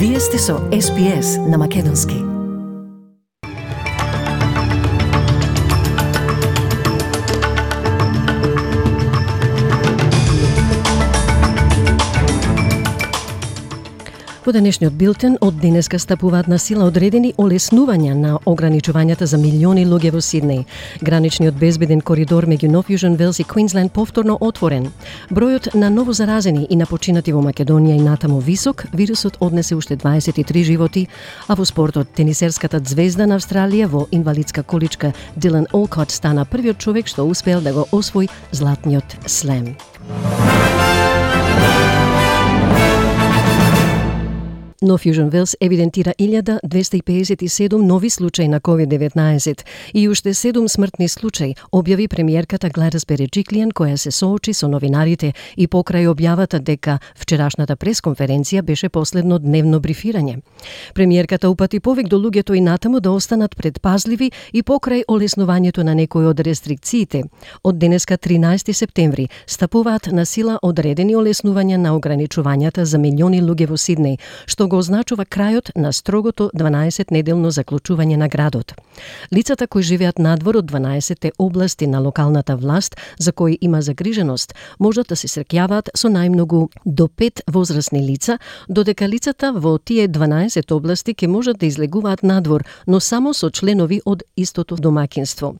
Вие сте со SPS на Македонски. Во денешниот билтен од денеска стапуваат на сила одредени олеснувања на ограничувањата за милиони луѓе во Сиднеј. Граничниот безбеден коридор меѓу Нов Јужен Велс и Квинсленд повторно отворен. Бројот на новозаразени и на починати во Македонија и натаму висок, вирусот однесе уште 23 животи, а во спортот тенисерската звезда на Австралија во инвалидска количка Дилан Олкот стана првиот човек што успел да го освои златниот слем. Нов Јужен Велс евидентира 1257 нови случаи на COVID-19 и уште 7 смртни случаи, објави премиерката Гледис Береджиклиан, која се соочи со новинарите и покрај објавата дека вчерашната пресконференција беше последно дневно брифирање. Премиерката упати повик до луѓето и натаму да останат предпазливи и покрај олеснувањето на некои од рестрикциите. Од денеска 13 септември стапуваат на сила одредени олеснувања на ограничувањата за милиони луѓе во Сиднеј, што го означува крајот на строгото 12-неделно заклучување на градот. Лицата кои живеат надвор од 12 области на локалната власт, за кои има загриженост, можат да се среќаваат со најмногу до 5 возрастни лица, додека лицата во тие 12 области ќе можат да излегуваат надвор, но само со членови од истото домаќинство.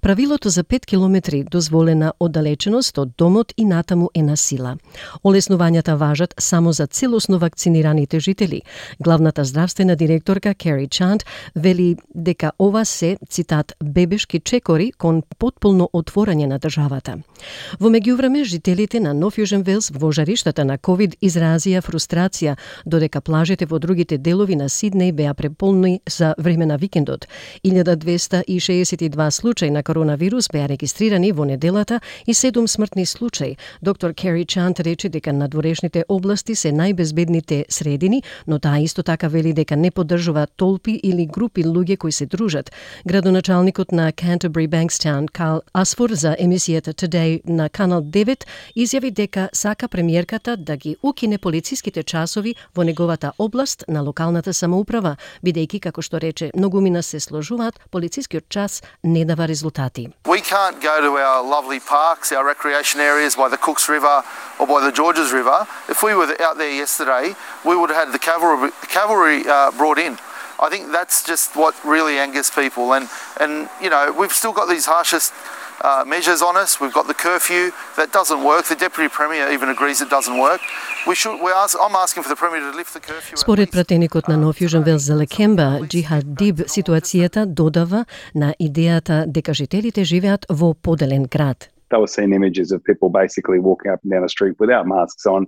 Правилото за 5 километри дозволена оддалеченост од домот и натаму е на сила. Олеснувањата важат само за целосно вакцинираните жители. Главната здравствена директорка Кери Чант вели дека ова се, цитат, бебешки чекори кон потполно отворање на државата. Во меѓувреме, жителите на Нов Јужен Велс во жариштата на COVID изразија фрустрација, додека плажите во другите делови на Сиднеј беа преполни за време на викендот. 1262 случаи на коронавирус беа регистрирани во неделата и 7 смртни случаи. Доктор Кери Чант рече дека надворешните области се најбезбедните средини, но таа исто така вели дека не поддржува толпи или групи луѓе кои се дружат. Градоначалникот на Canterbury Bankstown, Карл Асфор, за емисијата Today на Канал 9, изјави дека сака премиерката да ги укине полициските часови во неговата област на локалната самоуправа, бидејќи, како што рече, многумина се сложуваат, полицискиот час не дава резултати. We can't go to our lovely parks, our recreation areas by the Cooks River or by the Georges River. If we were out there yesterday, we would have had the cavalry brought in. I think that's just what really angers people, and you know, we've still got these harshest measures on us. We've got the curfew that doesn't work. The Deputy Premier even agrees it doesn't work. I'm asking for the Premier to lift the curfew. Според пратеникот на Нов Јужен Велс за Лекемба, Джихад Диб, ситуацијата додава на идејата дека жителите живеат во поделен град. They were seeing images of people basically walking up and down the street without masks on,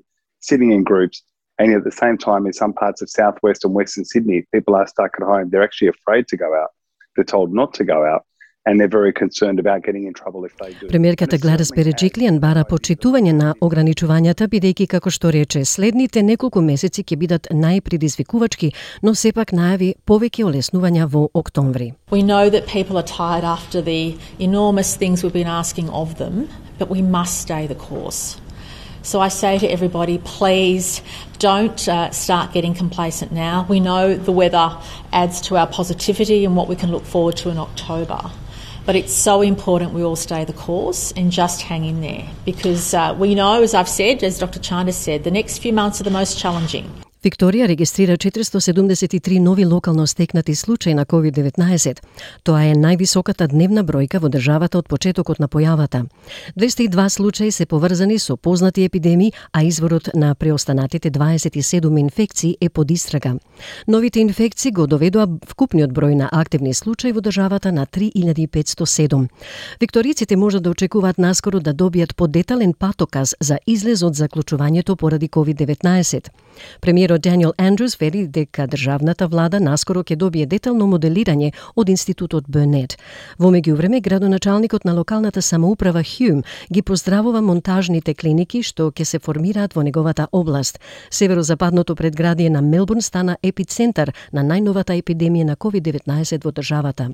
sitting in groups. And at the same time, in some parts of southwest and western Sydney, people are stuck at home. They're actually afraid to go out. They're told not to go out. And they're very concerned about getting in trouble if they do. Премиерката Гледис Береджиклиан бара почитување на ограничувањата, бидејќи, како што рече, следните неколку месеци ќе бидат најпредизвикувачки, но сепак најави повеќе олеснувања во октомври. We know that people are tired after the enormous things we've been asking of them, but we must stay the course. So I say to everybody, please don't start getting complacent now. We know the weather adds to our positivity and what we can look forward to in October. But it's so important we all stay the course and just hang in there, because we know, as I've said, as Dr. Chanda said, the next few months are the most challenging. Викторија регистрира 473 нови локално стекнати случаи на COVID-19. Тоа е највисоката дневна бројка во државата од почетокот на појавата. 202 случаи се поврзани со познати епидемии, а изворот на преостанатите 27 инфекции е под истрага. Новите инфекции го доведоа вкупниот број на активни случаи во државата на 3507. Викториците можат да очекуваат наскоро да добијат подетален патоказ за излез од заклучувањето поради COVID-19. Премиерот Даниел Андрус вели дека државната влада наскоро ќе добие детално моделирање од институтот Бернет. Во меѓувреме, градоначалникот на локалната самоуправа Хјум ги поздравува монтажните клиники што ќе се формираат во неговата област. Северозападното предградие на Мелбурн стана епицентар на најновата епидемија на COVID-19 во државата.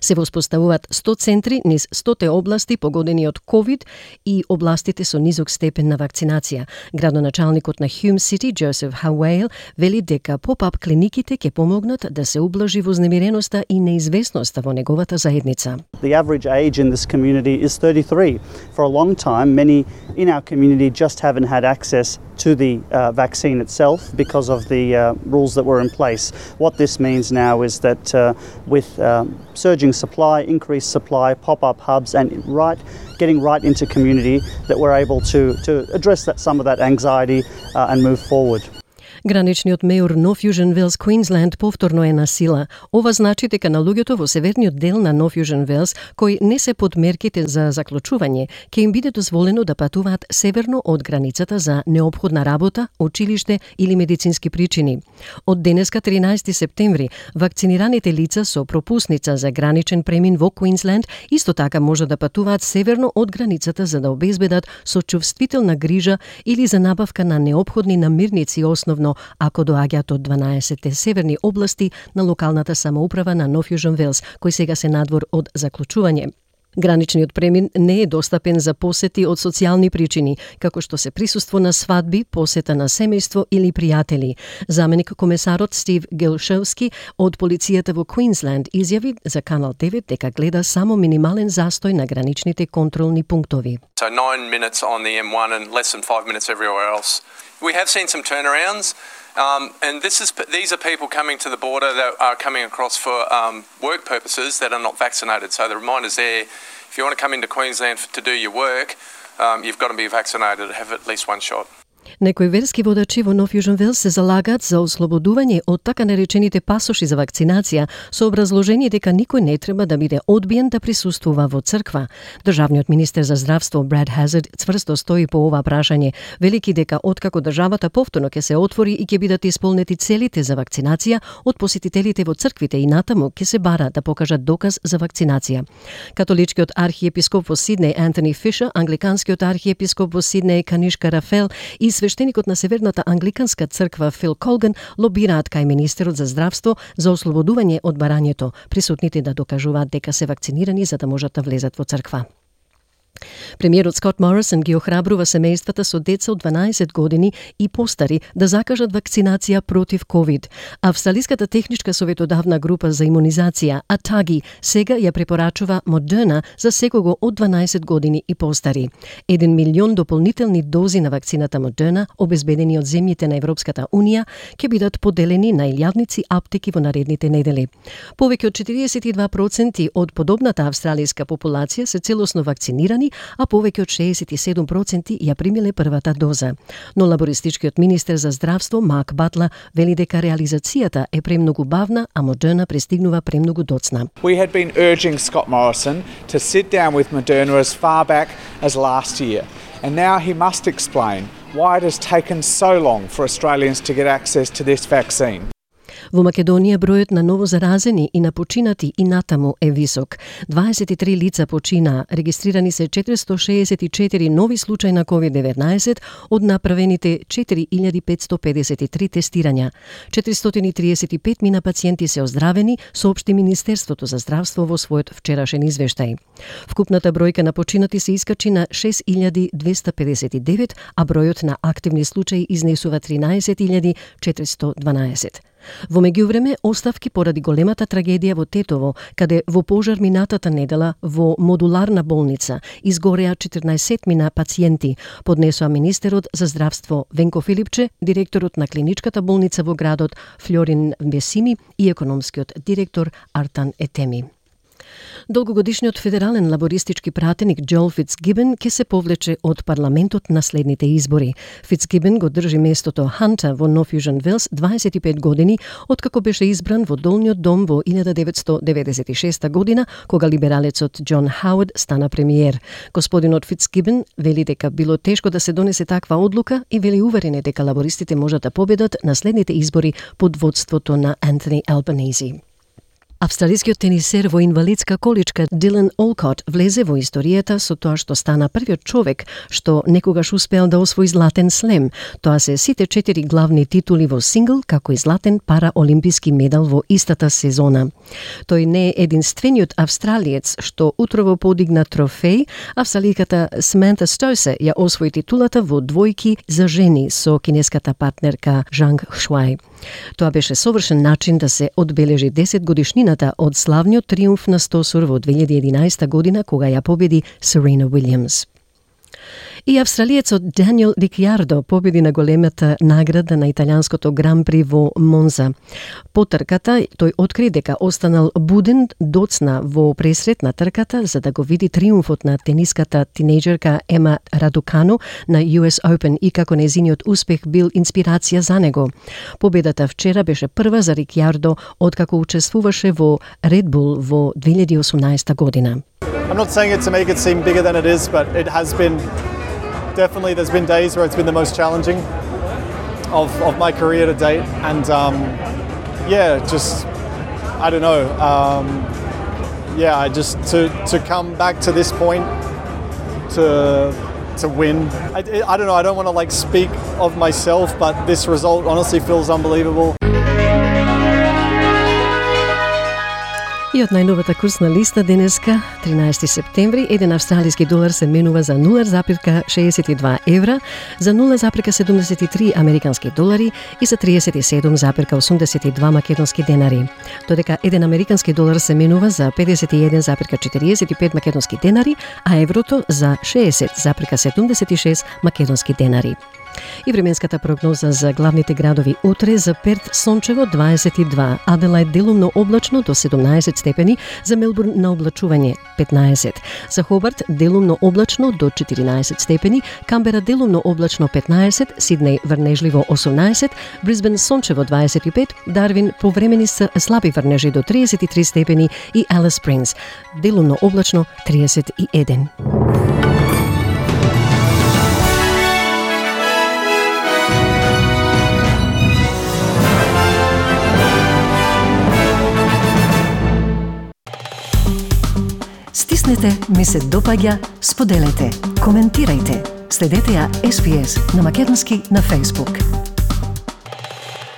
Се воспоставуваат 100 центри низ 100 области погодени од COVID и областите со низок степен на вакцинација. Градоначалникот на Hume City, Joseph Howell, вели дека поп-ап клиниките ќе помогнат да се ублажи вознемиреноста и неизвестноста во неговата заедница. The average age in this community is 33. For a long time, many in our community just haven't had access to the vaccine itself because of the rules that were in place. What this means now is that with surging supply, increased supply, pop-up hubs, and getting right into community, that we're able to address some of that anxiety and move forward. Граничниот мејор North Fusion Wales, Queensland, повторно е на сила. Ова значи дека на луѓето во северниот дел на North Fusion Wales, кои не се под мерките за заклучување, ќе им биде дозволено да патуваат северно од границата за неопходна работа, училиште или медицински причини. Од денеска 13 септември, вакцинираните лица со пропусница за граничен премин во Queensland исто така може да патуваат северно од границата за да обезбедат сочувствителна грижа или за набавка на неопходни намирници, основно ако доаѓаат од 12 северни области на локалната самоуправа на North Fusion Wales, кои сега се надвор од заклучување. Граничниот премин не е достапен за посети од социјални причини, како што се присуство на свадби, посета на семејство или пријатели. Заменик комесарот Стив Гелшевски од полицијата во Queensland изјави за Канал 9 дека гледа само минимален застој на граничните контролни пунктови. So 9 minutes on the M1 and less than 5 minutes everywhere else. We have seen some turnarounds. And these are people coming to the border that are coming across for work purposes that are not vaccinated. So the reminder's there. If you want to come into Queensland to do your work, you've got to be vaccinated and have at least one shot. Некои верски водачи во North Fusion Wales се залагаат за ослободување од така наречените пасоши за вакцинација со образложение дека никој не треба да биде одбиен да присуствува во црква. Државниот министер за здравство Брад Хазард цврсто стои по ова прашање, велики дека откако државата повторно ќе се отвори и ќе бидат исполнети целите за вакцинација, од посетителите во црквите и натаму ќе се бара да покажат доказ за вакцинација. Католичкиот архиепископ во Сиднеј Антони Фишер, англиканскиот архиепископ во Сиднеј Канишка Рафел и свештеникот на Северната англиканска црква Фил Колган лобираат кај министерот за здравство за ослободување од барањето, присутните да докажуваат дека се вакцинирани за да можат да влезат во црква. Премиерот Скот Морисон ги охрабрува семејствата со деца од 12 години и постари да закажат вакцинација против COVID. Австралиската техничка советодавна група за имунизација, ATAGI, сега ја препорачува Moderna за секого од 12 години и постари. 1 милион дополнителни дози на вакцината Moderna, обезбедени од земјите на Европската Унија, ќе бидат поделени на илјадници аптеки во наредните недели. Повеќе од 42% од подобната австралиска популација се целосно вакцинирани, а повеќе од 67% ја примиле првата доза. Но лабористичкиот министер за здравство Марк Батла вели дека реализацијата е премногу бавна, а Moderna пристигнува премногу доцна. We had been urging Scott Morrison to sit down with Moderna as far back as last year, and now he must explain why it has taken so long for Australians to get access to this vaccine. Во Македонија бројот на новозаразени и на починати и натаму е висок. 23 лица починаа, регистрирани се 464 нови случаи на COVID-19 од направените 4553 тестирања. 435 мина пациенти се оздравени, соопшти Министерството за здравство во својот вчерашен извештај. Вкупната бројка на починати се искачи на 6259, а бројот на активни случаи изнесува 13412. Во меѓувреме, оставки поради големата трагедија во Тетово, каде во пожар минатата недела во модуларна болница изгореа 14 мина пациенти, поднесоа министерот за здравство Венко Филипче, директорот на клиничката болница во градот Флорин Бесими и економскиот директор Артан Етеми. Долгогодишниот федерален лабористички пратеник Джоел Фицгибен ќе се повлече од парламентот на следните избори. Фицгибен го држи местото Ханта во North Fusion Wales 25 години, откако беше избран во долниот дом во 1996 година, кога либералецот Џон Хауард стана премиер. Господинот Фицгибен вели дека било тешко да се донесе таква одлука и вели уверен е дека лабористите можат да победат на следните избори под водството на Антони Албанези. Австралискиот тенисер во инвалидска количка Дилан Олкот влезе во историјата со тоа што стана првиот човек што некогаш успеал да освои златен слем. Тоа се сите 4 главни титули во сингл, како и златен параолимписки медал во истата сезона. Тој не е единствениот австралиец што утрово подигна трофеј. Австраликата Саманта Стосе ја освои титулата во двојки за жени со кинеската партнерка Жанг Шуај. Тоа беше совршен начин да се одбележи 10 годишнината од славниот триумф на Стосур во 2011 година кога ја победи Серена Уилјамс. И австралиецот Даниел Рикјардо победи на големата награда на италијанското Гран-при во Монза. По трката тој откри дека останал буден, доцна во пресрет на трката за да го види триумфот на тениската тинејџерка Ема Радукану на US Open и како нејзиниот успех бил инспирација за него. Победата вчера беше прва за Рикјардо откако учествуваше во Red Bull во 2018 година. I'm not saying it to make it seem bigger than it is, but it has been definitely, there's been days where it's been the most challenging of my career to date, and just I don't know, I just to come back to this point to win. I don't know. I don't want to like speak of myself, but this result honestly feels unbelievable. И од најновата курсна листа денеска, 13 септември, еден австралиски долар се менува за 0,62 евра, за 0,73 американски долари и за 37,82 македонски денари. Додека еден американски долар се менува за 51,45 македонски денари, а еврото за 60,76 македонски денари. И временската прогноза за главните градови утре: за Перт сончево 22, Аделајд делумно облачно до 17 степени, за Мелбурн на облачување 15, за Хобарт делумно облачно до 14 степени, Камбера делумно облачно 15, Сиднеј врнежливо 18, Брисбен сончево 25, Дарвин повремени се слаби врнежи до 33 степени и Алис Спрингс делумно облачно 31. Стиснете, ми се допаѓа, споделете, коментирајте. Следете ја SPS на македонски на Facebook.